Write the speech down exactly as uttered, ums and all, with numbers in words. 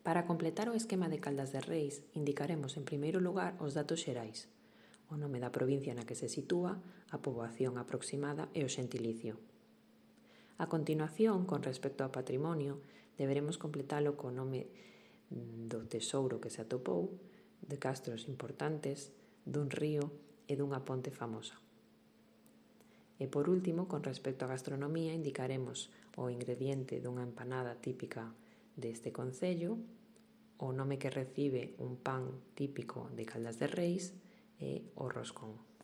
Para completar o esquema de Caldas de Reis, indicaremos en primeiro lugar os datos xerais, o nome da provincia na que se sitúa, a poboación aproximada e o xentilicio. A continuación, con respecto ao patrimonio, deberemos completalo co nome do tesouro que se atopou, de castros importantes, dun río e dunha ponte famosa. E por último, con respecto á gastronomía, indicaremos o ingrediente dunha empanada típica deste concello, o nome que recibe un pan típico de Caldas de Reis e o roscón.